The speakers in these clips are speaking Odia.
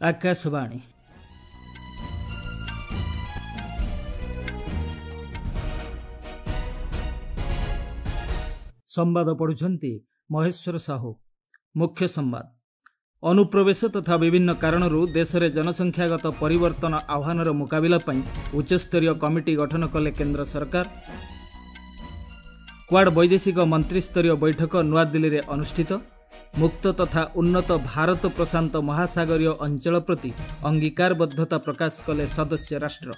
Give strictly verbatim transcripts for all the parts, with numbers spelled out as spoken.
ଆକାଶବାଣୀ। ସମ୍ବାଦ ପଢୁଛନ୍ତି ମହେଶ୍ୱର ସାହୁ। ମୁଖ୍ୟ ସମ୍ବାଦ। ଅନୁପ୍ରବେଶ ତଥା ବିଭିନ୍ନ କାରଣରୁ ଦେଶରେ ଜନସଂଖ୍ୟାଗତ ପରିବର୍ତ୍ତନ ଆହ୍ୱାନର ମୁକାବିଲା ପାଇଁ ଉଚ୍ଚସ୍ତରୀୟ କମିଟି ଗଠନ କଲେ କେନ୍ଦ୍ର ସରକାର। କ୍ୱାଡ୍ ବୈଦେଶିକ ମନ୍ତ୍ରିସ୍ତରୀୟ ବୈଠକ ନୂଆଦିଲ୍ଲୀରେ ଅନୁଷ୍ଠିତ। ମୁକ୍ତ ତଥା ଉନ୍ନତ ଭାରତ ପ୍ରଶାନ୍ତ ମହାସାଗରୀୟ ଅଞ୍ଚଳ ପ୍ରତି ଅଙ୍ଗୀକାରବଦ୍ଧତା ପ୍ରକାଶ କଲେ ସଦସ୍ୟ ରାଷ୍ଟ୍ର।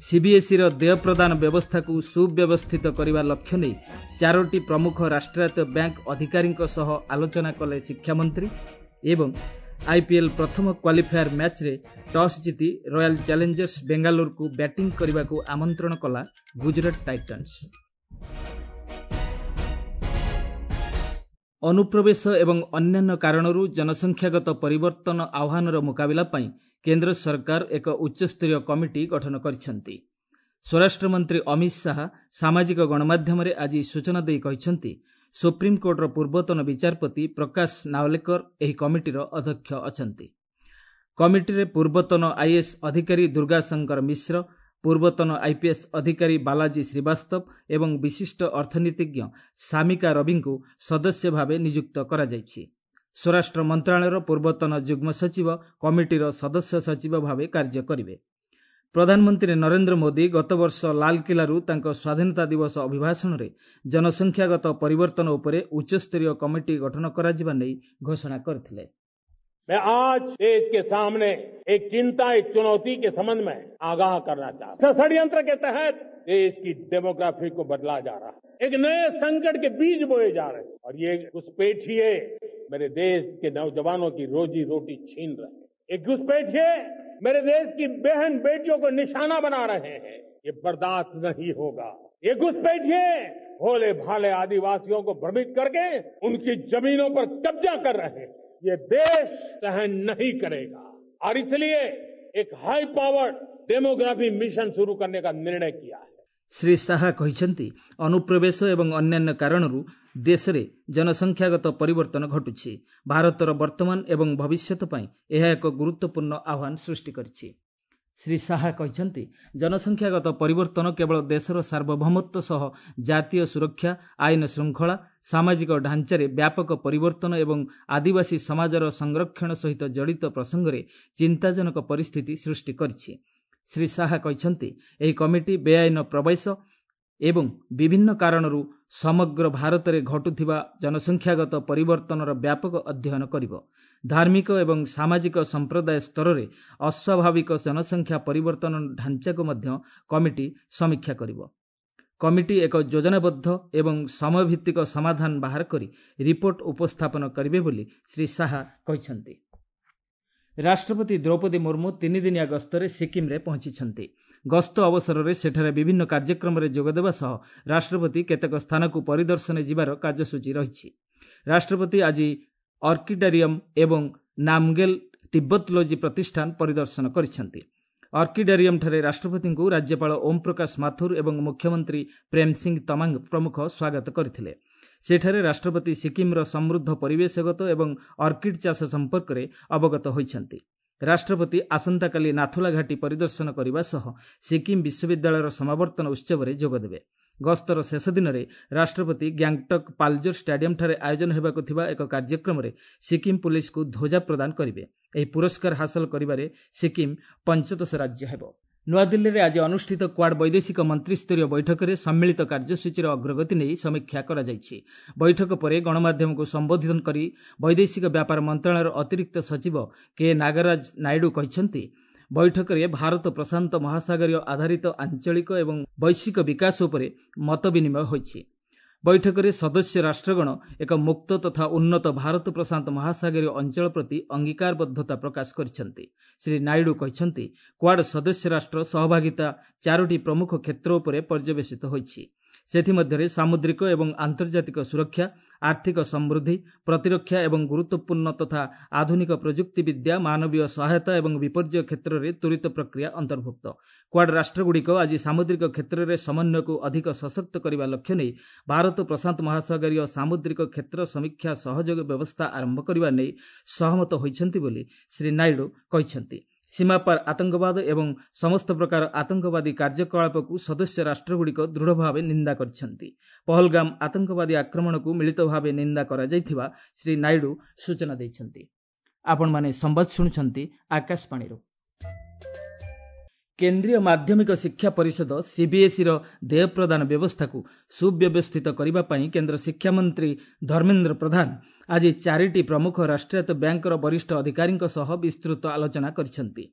ସିବିଏସ୍ଇର ଦେୟ ପ୍ରଦାନ ବ୍ୟବସ୍ଥାକୁ ସୁବ୍ୟବସ୍ଥିତ କରିବା ଲକ୍ଷ୍ୟ ନେଇ ଚାରୋଟି ପ୍ରମୁଖ ରାଷ୍ଟ୍ରାୟତ୍ତ ବ୍ୟାଙ୍କ ଅଧିକାରୀଙ୍କ ସହ ଆଲୋଚନା କଲେ ଶିକ୍ଷାମନ୍ତ୍ରୀ। ଏବଂ ଆଇପିଏଲ୍ ପ୍ରଥମ କ୍ୱାଲିଫାୟାର ମ୍ୟାଚ୍ରେ ଟସ୍ ଜିତି ରୟାଲ ଚ୍ୟାଲେଞ୍ଜର୍ସ ବେଙ୍ଗାଲୁରୁକୁ ବ୍ୟାଟିଂ କରିବାକୁ ଆମନ୍ତ୍ରଣ କଲା ଗୁଜରାଟ ଟାଇଟନ୍ସ। ଅନୁପ୍ରବେଶ ଏବଂ ଅନ୍ୟାନ୍ୟ କାରଣରୁ ଜନସଂଖ୍ୟାଗତ ପରିବର୍ତ୍ତନ ଆହ୍ୱାନର ମୁକାବିଲା ପାଇଁ କେନ୍ଦ୍ର ସରକାର ଏକ ଉଚ୍ଚସ୍ତରୀୟ କମିଟି ଗଠନ କରିଛନ୍ତି। ସ୍ୱରାଷ୍ଟ୍ରମନ୍ତ୍ରୀ ଅମିତ ଶାହା ସାମାଜିକ ଗଣମାଧ୍ୟମରେ ଆଜି ସୂଚନା ଦେଇ କହିଛନ୍ତି, ସୁପ୍ରିମକୋର୍ଟର ପୂର୍ବତନ ବିଚାରପତି ପ୍ରକାଶ ନାୱଲେକର ଏହି କମିଟିର ଅଧ୍ୟକ୍ଷ ଅଛନ୍ତି। କମିଟିରେ ପୂର୍ବତନ ଆଇଏଏସ୍ ଅଧିକାରୀ ଦୁର୍ଗାଶଙ୍କର ମିଶ୍ର, ପୂର୍ବତନ ଆଇପିଏସ୍ ଅଧିକାରୀ ବାଲାଜୀ ଶ୍ରୀବାସ୍ତବ ଏବଂ ବିଶିଷ୍ଟ ଅର୍ଥନୀତିଜ୍ଞ ସାମିକା ରବିଙ୍କୁ ସଦସ୍ୟ ଭାବେ ନିଯୁକ୍ତ କରାଯାଇଛି। ସ୍ୱରାଷ୍ଟ୍ର ମନ୍ତ୍ରଣାଳୟର ପୂର୍ବତନ ଯୁଗ୍ମ ସଚିବ କମିଟିର ସଦସ୍ୟ ସଚିବ ଭାବେ କାର୍ଯ୍ୟ କରିବେ। ପ୍ରଧାନମନ୍ତ୍ରୀ ନରେନ୍ଦ୍ର ମୋଦି ଗତବର୍ଷ ଲାଲକିଲ୍ଲାରୁ ତାଙ୍କ ସ୍ୱାଧୀନତା ଦିବସ ଅଭିଭାଷଣରେ ଜନସଂଖ୍ୟାଗତ ପରିବର୍ତ୍ତନ ଉପରେ ଉଚ୍ଚସ୍ତରୀୟ କମିଟି ଗଠନ କରାଯିବା ନେଇ ଘୋଷଣା କରିଥିଲେ। मैं आज देश के सामने एक चिंता, एक चुनौती के संबंध में आगाह करना चाहता हूं। षड्यंत्र के तहत देश की डेमोग्राफी को बदला जा रहा है, एक नए संकट के बीज बोए जा रहे हैं और ये घुसपैठिए मेरे देश के नौजवानों की रोजी रोटी छीन रहे हैं। ये घुसपैठिए मेरे देश की बहन बेटियों को निशाना बना रहे हैं। ये बर्दाश्त नहीं होगा। ये घुसपैठिए भोले भाले आदिवासियों को भ्रमित करके उनकी जमीनों पर कब्जा कर रहे हैं। ये देश सहन नहीं करेगा और इसलिए एक हाई पावर डेमोग्राफी मिशन शुरू करने का निर्णय किया है। ଶ୍ରୀ ଶାହା କହିଛନ୍ତି, ଅନୁପ୍ରବେଶ ଏବଂ ଅନ୍ୟାନ୍ୟ କାରଣରୁ ଦେଶରେ ଜନସଂଖ୍ୟାଗତ ପରିବର୍ତ୍ତନ ଘଟୁଛି। ଭାରତର ବର୍ତ୍ତମାନ ଏବଂ ଭବିଷ୍ୟତ ପାଇଁ ଏହା ଏକ ଗୁରୁତ୍ୱପୂର୍ଣ୍ଣ ଆହ୍ୱାନ ସୃଷ୍ଟି କରିଛି। ଶ୍ରୀ ଶାହା କହିଛନ୍ତି, ଜନସଂଖ୍ୟାଗତ ପରିବର୍ତ୍ତନ କେବଳ ଦେଶର ସାର୍ବଭୌମତ୍ୱ ସହ ଜାତୀୟ ସୁରକ୍ଷା, ଆଇନ ଶୃଙ୍ଖଳା, ସାମାଜିକ ଢାଞ୍ଚାରେ ବ୍ୟାପକ ପରିବର୍ତ୍ତନ ଏବଂ ଆଦିବାସୀ ସମାଜର ସଂରକ୍ଷଣ ସହିତ ଜଡ଼ିତ ପ୍ରସଙ୍ଗରେ ଚିନ୍ତାଜନକ ପରିସ୍ଥିତି ସୃଷ୍ଟି କରିଛି। ଶ୍ରୀ ଶାହା କହିଛନ୍ତି, ଏହି କମିଟି ବେଆଇନ ପ୍ରବେଶ ଏବଂ ବିଭିନ୍ନ କାରଣରୁ ସମଗ୍ର ଭାରତରେ ଘଟୁଥିବା ଜନସଂଖ୍ୟାଗତ ପରିବର୍ତ୍ତନର ବ୍ୟାପକ ଅଧ୍ୟୟନ କରିବ। ଧାର୍ମିକ ଏବଂ ସାମାଜିକ ସମ୍ପ୍ରଦାୟ ସ୍ତରରେ ଅସ୍ୱାଭାବିକ ଜନସଂଖ୍ୟା ପରିବର୍ତ୍ତନ ଢାଞ୍ଚାକୁ ମଧ୍ୟ କମିଟି ସମୀକ୍ଷା କରିବ। କମିଟି ଏକ ଯୋଜନାବଦ୍ଧ ଏବଂ ସମୟଭିତ୍ତିକ ସମାଧାନ ବାହାର କରି ରିପୋର୍ଟ ଉପସ୍ଥାପନ କରିବେ ବୋଲି ଶ୍ରୀ ଶାହା କହିଛନ୍ତି। ରାଷ୍ଟ୍ରପତି ଦ୍ରୌପଦୀ ମୁର୍ମୁ ତିନିଦିନିଆ ଗସ୍ତରେ ସିକିମ୍ରେ ପହଞ୍ଚିଛନ୍ତି। ଗସ୍ତ ଅବସରରେ ସେଠାରେ ବିଭିନ୍ନ କାର୍ଯ୍ୟକ୍ରମରେ ଯୋଗଦେବା ସହ ରାଷ୍ଟ୍ରପତି କେତେକ ସ୍ଥାନକୁ ପରିଦର୍ଶନ ଯିବାର କାର୍ଯ୍ୟସୂଚୀ ରହିଛି। ରାଷ୍ଟ୍ରପତି ଆଜି ଅର୍କିଡାରିୟମ୍ ଏବଂ ନାମଗେଲ ତିବ୍ବତଲୋଜି ପ୍ରତିଷ୍ଠାନ ପରିଦର୍ଶନ କରିଛନ୍ତି। ଅର୍କିଡାରିୟମ୍ଠାରେ ରାଷ୍ଟ୍ରପତିଙ୍କୁ ରାଜ୍ୟପାଳ ଓମ୍ ପ୍ରକାଶ ମାଥୁର ଏବଂ ମୁଖ୍ୟମନ୍ତ୍ରୀ ପ୍ରେମ ସିଂ ତମାଙ୍ଗ ପ୍ରମୁଖ ସ୍ୱାଗତ କରିଥିଲେ। ସେଠାରେ ରାଷ୍ଟ୍ରପତି ସିକିମ୍ର ସମୃଦ୍ଧ ପରିବେଶଗତ ଏବଂ ଅର୍କିଡ୍ ଚାଷ ସମ୍ପର୍କରେ ଅବଗତ ହୋଇଛନ୍ତି। ରାଷ୍ଟ୍ରପତି ଆସନ୍ତାକାଲି ନାଥୁଲା ଘାଟି ପରିଦର୍ଶନ କରିବା ସହ ସିକିମ୍ ବିଶ୍ୱବିଦ୍ୟାଳୟର ସମାବର୍ତ୍ତନ ଉତ୍ସବରେ ଯୋଗଦେବେ। ଗସ୍ତର ଶେଷ ଦିନରେ ରାଷ୍ଟ୍ରପତି ଗ୍ୟାଙ୍ଗଟକ୍ ପାଲଜୋର ଷ୍ଟାଡିୟମ୍ଠାରେ ଆୟୋଜନ ହେବାକୁ ଥିବା ଏକ କାର୍ଯ୍ୟକ୍ରମରେ ସିକିମ୍ ପୁଲିସକୁ ଧ୍ୱଜା ପ୍ରଦାନ କରିବେ। ଏହି ପୁରସ୍କାର ହାସଲ କରିବାରେ ସିକିମ୍ ପଞ୍ଚଦଶ ରାଜ୍ୟ ହେବ। ନୂଆଦିଲ୍ଲୀରେ ଆଜି ଅନୁଷ୍ଠିତ କ୍ୱାଡ୍ ବୈଦେଶିକ ମନ୍ତ୍ରିସ୍ତରୀୟ ବୈଠକରେ ସମ୍ମିଳିତ କାର୍ଯ୍ୟସୂଚୀର ଅଗ୍ରଗତି ନେଇ ସମୀକ୍ଷା କରାଯାଇଛି। ବୈଠକ ପରେ ଗଣମାଧ୍ୟମକୁ ସମ୍ବୋଧନ କରି ବୈଦେଶିକ ବ୍ୟାପାର ମନ୍ତ୍ରଣାଳୟର ଅତିରିକ୍ତ ସଚିବ କେ ନାଗରାଜ ନାଇଡୁ କହିଛନ୍ତି, ବୈଠକରେ ଭାରତ ପ୍ରଶାନ୍ତ ମହାସାଗରୀୟ ଆଧାରିତ ଆଞ୍ଚଳିକ ଏବଂ ବୈଶ୍ୱିକ ବିକାଶ ଉପରେ ମତ ବିନିମୟ ହୋଇଛି। ବୈଠକରେ ସଦସ୍ୟ ରାଷ୍ଟ୍ରଗଣ ଏକ ମୁକ୍ତ ତଥା ଉନ୍ନତ ଭାରତ ପ୍ରଶାନ୍ତ ମହାସାଗରୀୟ ଅଞ୍ଚଳ ପ୍ରତି ଅଙ୍ଗୀକାରବଦ୍ଧତା ପ୍ରକାଶ କରିଛନ୍ତି। ଶ୍ରୀ ନାଇଡୁ କହିଛନ୍ତି, କ୍ୱାଡ୍ ସଦସ୍ୟ ରାଷ୍ଟ୍ର ସହଭାଗିତା ଚାରୋଟି ପ୍ରମୁଖ କ୍ଷେତ୍ର ଉପରେ ପର୍ଯ୍ୟବେସିତ ହୋଇଛି। ସେଥିମଧ୍ୟରେ ସାମୁଦ୍ରିକ ଏବଂ ଆନ୍ତର୍ଜାତିକ ସୁରକ୍ଷା, ଆର୍ଥିକ ସମୃଦ୍ଧି, ପ୍ରତିରକ୍ଷା ଏବଂ ଗୁରୁତ୍ୱପୂର୍ଣ୍ଣ ତଥା ଆଧୁନିକ ପ୍ରଯୁକ୍ତିବିଦ୍ୟା, ମାନବୀୟ ସହାୟତା ଏବଂ ବିପର୍ଯ୍ୟୟ କ୍ଷେତ୍ରରେ ତ୍ୱରିତ ପ୍ରକ୍ରିୟା ଅନ୍ତର୍ଭୁକ୍ତ। କ୍ୱାଡ୍ ରାଷ୍ଟ୍ରଗୁଡ଼ିକ ଆଜି ସାମୁଦ୍ରିକ କ୍ଷେତ୍ରରେ ସମନ୍ୱୟକୁ ଅଧିକ ସଶକ୍ତ କରିବା ଲକ୍ଷ୍ୟ ନେଇ ଭାରତ ପ୍ରଶାନ୍ତ ମହାସାଗରୀୟ ସାମୁଦ୍ରିକ କ୍ଷେତ୍ର ସମୀକ୍ଷା ସହଯୋଗ ବ୍ୟବସ୍ଥା ଆରମ୍ଭ କରିବା ନେଇ ସହମତ ହୋଇଛନ୍ତି ବୋଲି ଶ୍ରୀ ନାଇଡୁ କହିଛନ୍ତି। ସୀମାପାର ଆତଙ୍କବାଦ ଏବଂ ସମସ୍ତ ପ୍ରକାର ଆତଙ୍କବାଦୀ କାର୍ଯ୍ୟକଳାପକୁ ସଦସ୍ୟ ରାଷ୍ଟ୍ରଗୁଡ଼ିକ ଦୃଢ଼ ଭାବେ ନିନ୍ଦା କରିଛନ୍ତି। ପହଲଗାମ ଆତଙ୍କବାଦୀ ଆକ୍ରମଣକୁ ମିଳିତ ଭାବେ ନିନ୍ଦା କରାଯାଇଥିବା ଶ୍ରୀ ନାଇଡୁ ସୂଚନା ଦେଇଛନ୍ତି। ଆପଣମାନେ ସମ୍ବାଦ ଶୁଣୁଛନ୍ତି ଆକାଶବାଣୀରୁ। କେନ୍ଦ୍ରୀୟ ମାଧ୍ୟମିକ ଶିକ୍ଷା ପରିଷଦ ସିବିଏସ୍ଇର ଦେୟ ପ୍ରଦାନ ବ୍ୟବସ୍ଥାକୁ ସୁବ୍ୟବସ୍ଥିତ କରିବା ପାଇଁ କେନ୍ଦ୍ର ଶିକ୍ଷାମନ୍ତ୍ରୀ ଧର୍ମେନ୍ଦ୍ର ପ୍ରଧାନ ଆଜି ଚାରିଟି ପ୍ରମୁଖ ରାଷ୍ଟ୍ରାୟତ୍ତ ବ୍ୟାଙ୍କର ବରିଷ୍ଠ ଅଧିକାରୀଙ୍କ ସହ ବିସ୍ତୃତ ଆଲୋଚନା କରିଛନ୍ତି।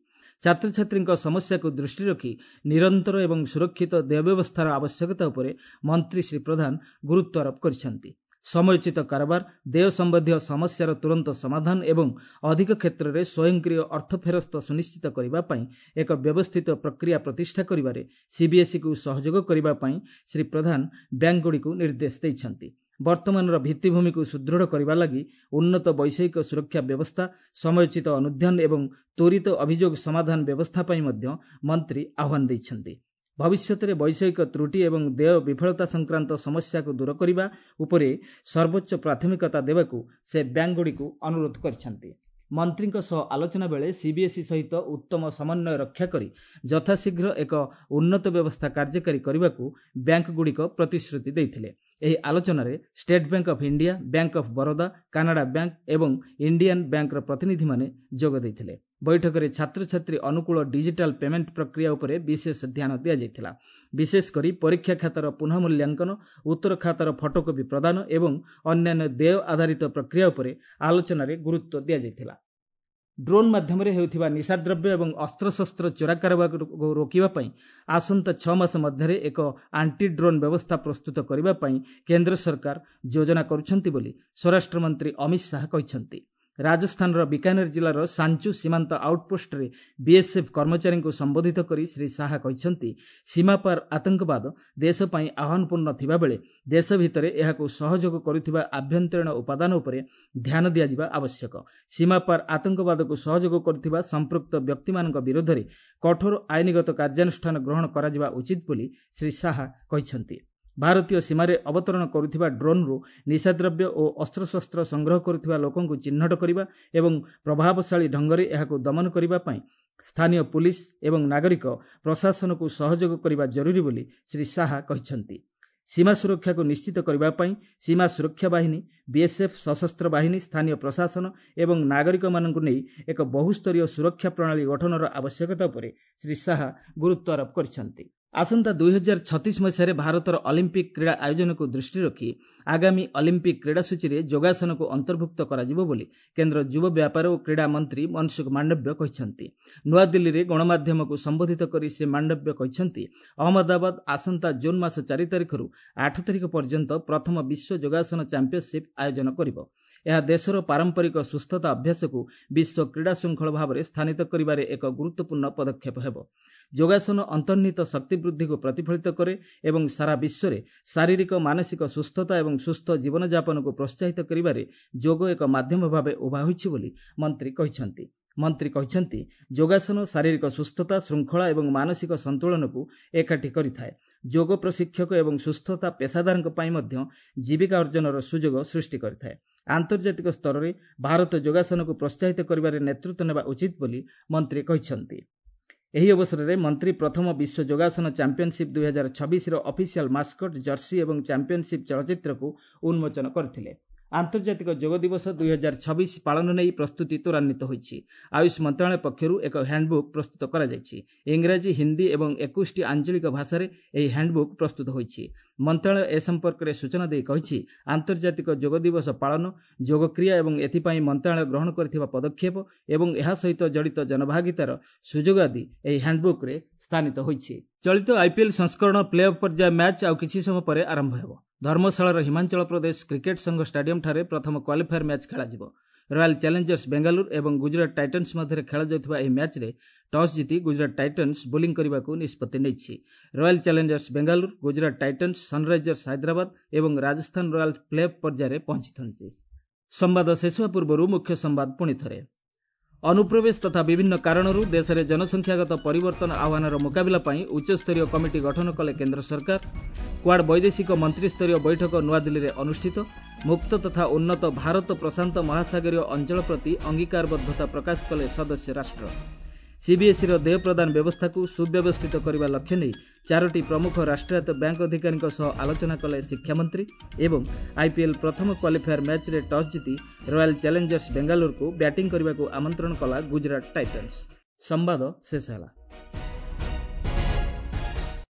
ଛାତ୍ରଛାତ୍ରୀଙ୍କ ସମସ୍ୟାକୁ ଦୃଷ୍ଟିରେ ରଖି ନିରନ୍ତର ଏବଂ ସୁରକ୍ଷିତ ଦେୟ ବ୍ୟବସ୍ଥାର ଆବଶ୍ୟକତା ଉପରେ ମନ୍ତ୍ରୀ ଶ୍ରୀ ପ୍ରଧାନ ଗୁରୁତ୍ୱ ଆରୋପ କରିଛନ୍ତି। ସମୟୋଚିତ କାରବାର, ଦେୟ ସମ୍ବନ୍ଧୀୟ ସମସ୍ୟାର ତୁରନ୍ତ ସମାଧାନ ଏବଂ ଅଧିକ କ୍ଷେତ୍ରରେ ସ୍ୱୟଂକ୍ରିୟ ଅର୍ଥ ଫେରସ୍ତ ସୁନିଶ୍ଚିତ କରିବା ପାଇଁ ଏକ ବ୍ୟବସ୍ଥିତ ପ୍ରକ୍ରିୟା ପ୍ରତିଷ୍ଠା କରିବାରେ ସିବିଏସ୍ଇକୁ ସହଯୋଗ କରିବା ପାଇଁ ଶ୍ରୀ ପ୍ରଧାନ ବ୍ୟାଙ୍କଗୁଡ଼ିକୁ ନିର୍ଦ୍ଦେଶ ଦେଇଛନ୍ତି। ବର୍ତ୍ତମାନର ଭିତ୍ତିଭୂମିକୁ ସୁଦୃଢ଼ କରିବା ଲାଗି ଉନ୍ନତ ବୈଷୟିକ ସୁରକ୍ଷା ବ୍ୟବସ୍ଥା, ସମୟୋଚିତ ଅନୁଧ୍ୟାନ ଏବଂ ତ୍ୱରିତ ଅଭିଯୋଗ ସମାଧାନ ବ୍ୟବସ୍ଥା ପାଇଁ ମଧ୍ୟ ମନ୍ତ୍ରୀ ଆହ୍ୱାନ ଦେଇଛନ୍ତି। ଭବିଷ୍ୟତରେ ବୈଷୟିକ ତ୍ରୁଟି ଏବଂ ଦେୟ ବିଫଳତା ସଂକ୍ରାନ୍ତ ସମସ୍ୟାକୁ ଦୂର କରିବା ଉପରେ ସର୍ବୋଚ୍ଚ ପ୍ରାଥମିକତା ଦେବାକୁ ସେ ବ୍ୟାଙ୍କଗୁଡ଼ିକୁ ଅନୁରୋଧ କରିଛନ୍ତି। ମନ୍ତ୍ରୀଙ୍କ ସହ ଆଲୋଚନା ବେଳେ ସିବିଏସ୍ଇ ସହିତ ଉତ୍ତମ ସମନ୍ୱୟ ରକ୍ଷା କରି ଯଥାଶୀଘ୍ର ଏକ ଉନ୍ନତ ବ୍ୟବସ୍ଥା କାର୍ଯ୍ୟକାରୀ କରିବାକୁ ବ୍ୟାଙ୍କଗୁଡ଼ିକ ପ୍ରତିଶ୍ରୁତି ଦେଇଥିଲେ। ଏହି ଆଲୋଚନାରେ State Bank of India, Bank of Baroda, Canara Bank ଏବଂ ଇଣ୍ଡିଆନ୍ ବ୍ୟାଙ୍କର ପ୍ରତିନିଧିମାନେ ଯୋଗ ଦେଇଥିଲେ। ବୈଠକରେ ଛାତ୍ରଛାତ୍ରୀ ଅନୁକୂଳ ଡିଜିଟାଲ ପେମେଣ୍ଟ ପ୍ରକ୍ରିୟା ଉପରେ ବିଶେଷ ଧ୍ୟାନ ଦିଆଯାଇଥିଲା। ବିଶେଷ କରି ପରୀକ୍ଷା ଖାତାର ପୁନଃମୂଲ୍ୟାଙ୍କନ, ଉତ୍ତର ଖାତାର ଫଟୋକପି ପ୍ରଦାନ ଏବଂ ଅନ୍ୟାନ୍ୟ ଦେୟ ଆଧାରିତ ପ୍ରକ୍ରିୟା ଉପରେ ଆଲୋଚନାରେ ଗୁରୁତ୍ୱ ଦିଆଯାଇଥିଲା। ଡ୍ରୋନ୍ ମାଧ୍ୟମରେ ହେଉଥିବା ନିଶାଦ୍ରବ୍ୟ ଏବଂ ଅସ୍ତ୍ରଶସ୍ତ୍ର ଚୋରା କାରବାରକୁ ରୋକିବା ପାଇଁ ଆସନ୍ତା ଛଅ ମାସ ମଧ୍ୟରେ ଏକ ଆଣ୍ଟି ଡ୍ରୋନ୍ ବ୍ୟବସ୍ଥା ପ୍ରସ୍ତୁତ କରିବା ପାଇଁ କେନ୍ଦ୍ର ସରକାର ଯୋଜନା କରୁଛନ୍ତି ବୋଲି ସ୍ୱରାଷ୍ଟ୍ରମନ୍ତ୍ରୀ ଅମିତ ଶାହା କହିଛନ୍ତି। ରାଜସ୍ଥାନର ବିକାନେର ଜିଲ୍ଲାର ସାଞ୍ଚୁ ସୀମାନ୍ତ ଆଉଟପୋଷ୍ଟରେ ବିଏସ୍ଏଫ୍ କର୍ମଚାରୀଙ୍କୁ ସମ୍ବୋଧିତ କରି ଶ୍ରୀ ଶାହା କହିଛନ୍ତି, ସୀମାପାର ଆତଙ୍କବାଦ ଦେଶ ପାଇଁ ଆହ୍ୱାନପୂର୍ଣ୍ଣ ଥିବାବେଳେ ଦେଶ ଭିତରେ ଏହାକୁ ସହଯୋଗ କରୁଥିବା ଆଭ୍ୟନ୍ତରୀଣ ଉପାଦାନ ଉପରେ ଧ୍ୟାନ ଦିଆଯିବା ଆବଶ୍ୟକ। ସୀମାପାର ଆତଙ୍କବାଦକୁ ସହଯୋଗ କରୁଥିବା ସମ୍ପୃକ୍ତ ବ୍ୟକ୍ତିମାନଙ୍କ ବିରୋଧରେ କଠୋର ଆଇନଗତ କାର୍ଯ୍ୟାନୁଷ୍ଠାନ ଗ୍ରହଣ କରାଯିବା ଉଚିତ ବୋଲି ଶ୍ରୀ ଶାହା କହିଛନ୍ତି। ଭାରତୀୟ ସୀମାରେ ଅବତରଣ କରୁଥିବା ଡ୍ରୋନ୍ରୁ ନିଶାଦ୍ରବ୍ୟ ଓ ଅସ୍ତ୍ରଶସ୍ତ୍ର ସଂଗ୍ରହ କରୁଥିବା ଲୋକଙ୍କୁ ଚିହ୍ନଟ କରିବା ଏବଂ ପ୍ରଭାବଶାଳୀ ଢଙ୍ଗରେ ଏହାକୁ ଦମନ କରିବା ପାଇଁ ସ୍ଥାନୀୟ ପୁଲିସ ଏବଂ ନାଗରିକ ପ୍ରଶାସନକୁ ସହଯୋଗ କରିବା ଜରୁରୀ ବୋଲି ଶ୍ରୀ ଶାହା କହିଛନ୍ତି। ସୀମା ସୁରକ୍ଷାକୁ ନିଶ୍ଚିତ କରିବା ପାଇଁ ସୀମା ସୁରକ୍ଷା ବାହିନୀ, ବିଏସ୍ଏଫ୍, ସଶସ୍ତ୍ର ବାହିନୀ, ସ୍ଥାନୀୟ ପ୍ରଶାସନ ଏବଂ ନାଗରିକମାନଙ୍କୁ ନେଇ ଏକ ବହୁସ୍ତରୀୟ ସୁରକ୍ଷା ପ୍ରଣାଳୀ ଗଠନର ଆବଶ୍ୟକତା ଉପରେ ଶ୍ରୀ ଶାହା ଗୁରୁତ୍ୱ ଆରୋପ କରିଛନ୍ତି। ଆସନ୍ତା ଦୁଇ ହଜାର ଛତିଶ ମସିହାରେ ଭାରତର ଅଲିମ୍ପିକ୍ କ୍ରୀଡ଼ା ଆୟୋଜନକୁ ଦୃଷ୍ଟିରେ ରଖି ଆଗାମୀ ଅଲିମ୍ପିକ୍ କ୍ରୀଡ଼ାସୂଚୀରେ ଯୋଗାସନକୁ ଅନ୍ତର୍ଭୁକ୍ତ କରାଯିବ ବୋଲି କେନ୍ଦ୍ର ଯୁବ ବ୍ୟାପାର ଓ କ୍ରୀଡ଼ା ମନ୍ତ୍ରୀ ମନସୁଖ ମାଣ୍ଡବ୍ୟ କହିଛନ୍ତି। ନୂଆଦିଲ୍ଲୀରେ ଗଣମାଧ୍ୟମକୁ ସମ୍ବୋଧିତ କରି ଶ୍ରୀ ମାଣ୍ଡବ୍ୟ କହିଛନ୍ତି, ଅହମ୍ମଦାବାଦ ଆସନ୍ତା ଜୁନ୍ ମାସ ଚାରି ତାରିଖରୁ ଆଠ ତାରିଖ ପର୍ଯ୍ୟନ୍ତ ପ୍ରଥମ ବିଶ୍ୱ ଯୋଗାସନ ଚାମ୍ପିଅନସିପ୍ ଆୟୋଜନ କରିବ। ଏହା ଦେଶର ପାରମ୍ପରିକ ସୁସ୍ଥତା ଅଭ୍ୟାସକୁ ବିଶ୍ୱ କ୍ରୀଡ଼ା ଶୃଙ୍ଖଳ ଭାବରେ ସ୍ଥାନିତ କରିବାରେ ଏକ ଗୁରୁତ୍ୱପୂର୍ଣ୍ଣ ପଦକ୍ଷେପ ହେବ। ଯୋଗାସନ ଅନ୍ତର୍ନିହିତ ଶକ୍ତି ବୃଦ୍ଧିକୁ ପ୍ରତିଫଳିତ କରେ ଏବଂ ସାରା ବିଶ୍ୱରେ ଶାରୀରିକ ମାନସିକ ସୁସ୍ଥତା ଏବଂ ସୁସ୍ଥ ଜୀବନଯାପନକୁ ପ୍ରୋତ୍ସାହିତ କରିବାରେ ଯୋଗ ଏକ ମାଧ୍ୟମ ଭାବେ ଉଭା ହୋଇଛି ବୋଲି ମନ୍ତ୍ରୀ କହିଛନ୍ତି। ମନ୍ତ୍ରୀ କହିଛନ୍ତି, ଯୋଗାସନ ଶାରୀରିକ ସୁସ୍ଥତା, ଶୃଙ୍ଖଳା ଏବଂ ମାନସିକ ସନ୍ତୁଳନକୁ ଏକାଠି କରିଥାଏ। ଯୋଗ ପ୍ରଶିକ୍ଷକ ଏବଂ ସୁସ୍ଥତା ପେସାଦାରଙ୍କ ପାଇଁ ମଧ୍ୟ ଜୀବିକା ଅର୍ଜନର ସୁଯୋଗ ସୃଷ୍ଟି କରିଥାଏ। ଆନ୍ତର୍ଜାତିକ ସ୍ତରରେ ଭାରତ ଯୋଗାସନକୁ ପ୍ରୋତ୍ସାହିତ କରିବାରେ ନେତୃତ୍ୱ ନେବା ଉଚିତ ବୋଲି ମନ୍ତ୍ରୀ କହିଛନ୍ତି। ଏହି ଅବସରରେ ମନ୍ତ୍ରୀ ପ୍ରଥମ ବିଶ୍ୱ ଯୋଗାସନ ଚାମ୍ପିଅନସିପ୍ ଦୁଇ ହଜାର ଛବିଶର ଅଫିସିଆଲ ମାସ୍କଟ, ଜର୍ସି ଏବଂ ଚାମ୍ପିଅନସିପ୍ ଚଳଚ୍ଚିତ୍ରକୁ ଉନ୍ମୋଚନ କରିଥିଲେ। ଆନ୍ତର୍ଜାତିକ ଯୋଗ ଦିବସ ଦୁଇ ହଜାର ଛବିଶ ପାଳନ ନେଇ ପ୍ରସ୍ତୁତି ତ୍ୱରାନ୍ୱିତ ହୋଇଛି। ଆୟୁଷ ମନ୍ତ୍ରଣାଳୟ ପକ୍ଷରୁ ଏକ ହ୍ୟାଣ୍ଡବୁକ୍ ପ୍ରସ୍ତୁତ କରାଯାଇଛି। ଇଂରାଜୀ, ହିନ୍ଦୀ ଏବଂ ଏକୋଇଶଟି ଆଞ୍ଚଳିକ ଭାଷାରେ ଏହି ହ୍ୟାଣ୍ଡବୁକ୍ ପ୍ରସ୍ତୁତ ହୋଇଛି। ମନ୍ତ୍ରଣାଳୟ ଏ ସମ୍ପର୍କରେ ସୂଚନା ଦେଇ କହିଛି, ଆନ୍ତର୍ଜାତିକ ଯୋଗ ଦିବସ ପାଳନ, ଯୋଗକ୍ରିୟା ଏବଂ ଏଥିପାଇଁ ମନ୍ତ୍ରଣାଳୟ ଗ୍ରହଣ କରିଥିବା ପଦକ୍ଷେପ ଏବଂ ଏହା ସହିତ ଜଡ଼ିତ ଜନଭାଗିତାର ସୁଯୋଗ ଆଦି ଏହି ହ୍ୟାଣ୍ଡବୁକ୍ରେ ସ୍ଥାନିତ ହୋଇଛି। ଚଳିତ ଆଇପିଏଲ୍ ସଂସ୍କରଣ ପ୍ଲେ ଅଫ୍ ପର୍ଯ୍ୟାୟ ମ୍ୟାଚ୍ ଆଉ କିଛି ସମୟ ପରେ ଆରମ୍ଭ ହେବ। ଧର୍ମଶାଳାର ହିମାଚଳ ପ୍ରଦେଶ କ୍ରିକେଟ ସଂଘ ଷ୍ଟାଡିୟମଠାରେ ପ୍ରଥମ କ୍ୱାଲିଫାୟର ମ୍ୟାଚ୍ ଖେଳାଯିବ। ରୟାଲ ଚ୍ୟାଲେଞ୍ଜର୍ସ ବେଙ୍ଗାଲୁରୁ ଏବଂ ଗୁଜରାଟ ଟାଇଟନ୍ସ ମଧ୍ୟରେ ଖେଳାଯାଉଥିବା ଏହି ମ୍ୟାଚ୍ରେ ଟସ୍ ଜିତି ଗୁଜରାଟ ଟାଇଟନ୍ସ ବୋଲିଂ କରିବାକୁ ନିଷ୍ପତ୍ତି ନେଇଛି। Royal challengers Bengaluru, Gujarat Titans, Sunrisers Hyderabad ଏବଂ ରାଜସ୍ଥାନ ରୟାଲ୍ସ ପ୍ଲେ ଅଫ୍ ପର୍ଯ୍ୟାୟରେ ପହଞ୍ଚିଛନ୍ତି। ସମ୍ବାଦ ଶେଷ ହେବା ପୂର୍ବରୁ ମୁଖ୍ୟ ସମ୍ବାଦ ପୁଣି ଥରେ। ଅନୁପ୍ରବେଶ ତଥା ବିଭିନ୍ନ କାରଣରୁ ଦେଶରେ ଜନସଂଖ୍ୟାଗତ ପରିବର୍ତ୍ତନ ଆହ୍ୱାନର ମୁକାବିଲା ପାଇଁ ଉଚ୍ଚସ୍ତରୀୟ କମିଟି ଗଠନ କଲେ କେନ୍ଦ୍ର ସରକାର। କ୍ୱାଡ୍ ବୈଦେଶିକ ମନ୍ତ୍ରିସ୍ତରୀୟ ବୈଠକ ନୂଆଦିଲ୍ଲୀରେ ଅନୁଷ୍ଠିତ। ମୁକ୍ତ ତଥା ଉନ୍ନତ ଭାରତ ପ୍ରଶାନ୍ତ ମହାସାଗରୀୟ ଅଞ୍ଚଳ ପ୍ରତି ଅଙ୍ଗୀକାରବଦ୍ଧତା ପ୍ରକାଶ କଲେ ସଦସ୍ୟ ରାଷ୍ଟ୍ର। ସିବିଏସ୍ଇର ଦେୟ ପ୍ରଦାନ ବ୍ୟବସ୍ଥାକୁ ସୁବ୍ୟବସ୍ଥିତ କରିବା ଲକ୍ଷ୍ୟ ନେଇ ଚାରୋଟି ପ୍ରମୁଖ ରାଷ୍ଟ୍ରାୟତ୍ତ ବ୍ୟାଙ୍କ ଅଧିକାରୀଙ୍କ ସହ ଆଲୋଚନା କଲେ ଶିକ୍ଷାମନ୍ତ୍ରୀ। ଏବଂ ଆଇପିଏଲ୍ ପ୍ରଥମ କ୍ୱାଲିଫାୟର ମ୍ୟାଚ୍ରେ ଟସ୍ ଜିତି ରୟାଲ ଚ୍ୟାଲେଞ୍ଜର୍ସ ବେଙ୍ଗାଲୁରୁକୁ ବ୍ୟାଟିଂ କରିବାକୁ ଆମନ୍ତ୍ରଣ କଲା ଗୁଜରାଟ ଟାଇଟନ୍ସ। ସମ୍ବାଦ ଶେଷ ହେଲା।